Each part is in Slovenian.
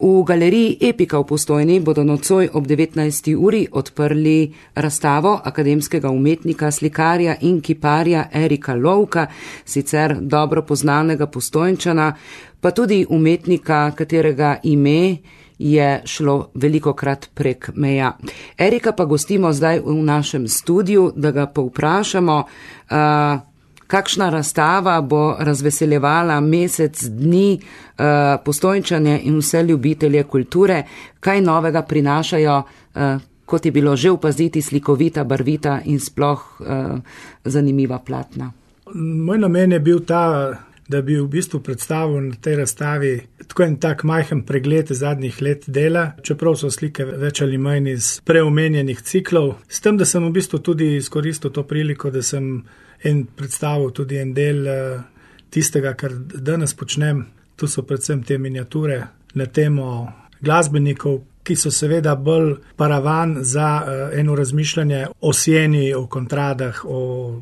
V galeriji Epika v Postojni bodo nocoj ob 19. uri odprli razstavo akademskega umetnika, slikarja in kiparja Erika Lovka, sicer dobro poznanega Postojnčana, pa tudi umetnika, katerega ime je šlo velikokrat prek meja. Erika pa gostimo zdaj v našem studiu, da ga povprašamo, kakšna razstava bo razveseljevala mesec dni Postojnčane in vse ljubitelje kulture, kaj novega prinašajo, kot je bilo že opaziti, slikovita, barvita in sploh zanimiva platna. Moj namen je bil ta, da bi v bistvu predstavil na tej razstavi tako en tak majhen pregled zadnjih let dela, čeprav so slike več ali manj iz preomenjenih ciklov. S tem, da sem v bistvu tudi izkoristil to priliko, da sem predstavil tudi en del tistega, kar danes počnem. Tu so predvsem te miniature na temo glasbenikov, ki so seveda bolj paravan za eno razmišljanje o sieni, o kontradah, o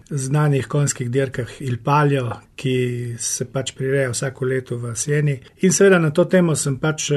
znanih konjskih dirkah Il Palio, ki se pač prireja vsako leto v sieni. In seveda na to temo sem pač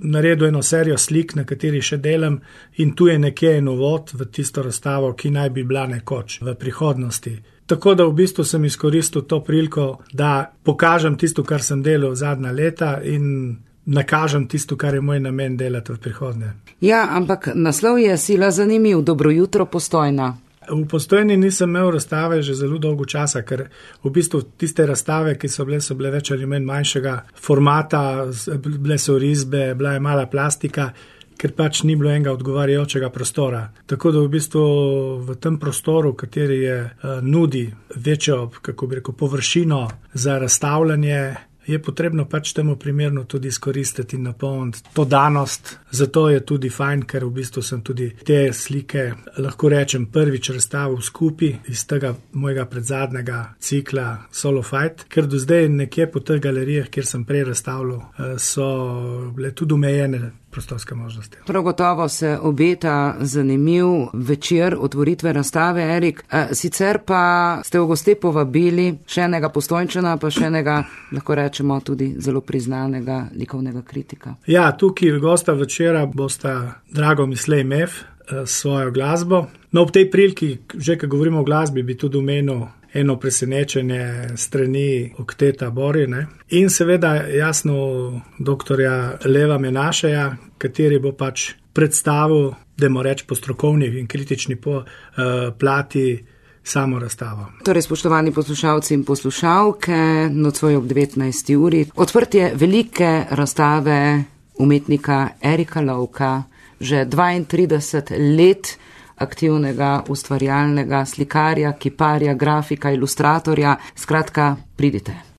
naredil eno serijo slik, na kateri še delam, in tu je nekje en uvod v tisto razstavo, ki naj bi bila nekoč v prihodnosti. Tako da v bistvu sem izkoristil to priliko, da pokažem tisto, kar sem delal zadnja leta in nakažem tisto, kar je moj namen delati v prihodnje. Ja, ampak naslov je sila zanimiv. Dobro jutro, Postojna. V Postojni nisem imel razstave že zelo dolgo časa, ker v bistvu tiste razstave, ki so bile več ali manj manjšega formata, bile so risbe, bila je mala plastika, ker pač ni bilo enega odgovarjajočega prostora. Tako da v bistvu v tem prostoru, kateri je nudi večjo, kako bi rekel, površino za razstavljanje, je potrebno pač temu primerno tudi izkoristiti in napolniti to danost. Zato je tudi fajn, ker v bistvu sem tudi te slike, lahko rečem, prvič razstavil skupaj iz tega mojega predzadnjega cikla Solo Fight, ker do zdaj nekje po teh galerijah, kjer sem prej razstavljal, so bile tudi omejene prostorske možnosti. Prav gotovo se obeta zanimiv večer otvoritve razstave, Erik. Sicer pa ste v goste povabili še enega Postojnčana, pa še enega, lahko rečemo, tudi zelo priznanega likovnega kritika. Ja, tukaj gosta večera bosta Drago Mislej Mef s svojo glasbo. No, ob tej priliki, že ko govorimo o glasbi, bi tudi omenil eno presenečenje strani okteta Bori, ne? In seveda jasno doktorja Leva Menašeja, kateri bo pač predstavil, dajmo reči po strokovni in kritični plati, samo razstavo. Torej, spoštovani poslušalci in poslušalke, nocoj ob 19. uri odprtje velike razstave umetnika Erika Lovka, že 32 let aktivnega ustvarjalnega slikarja, kiparja, grafika, ilustratorja. Skratka, pridite.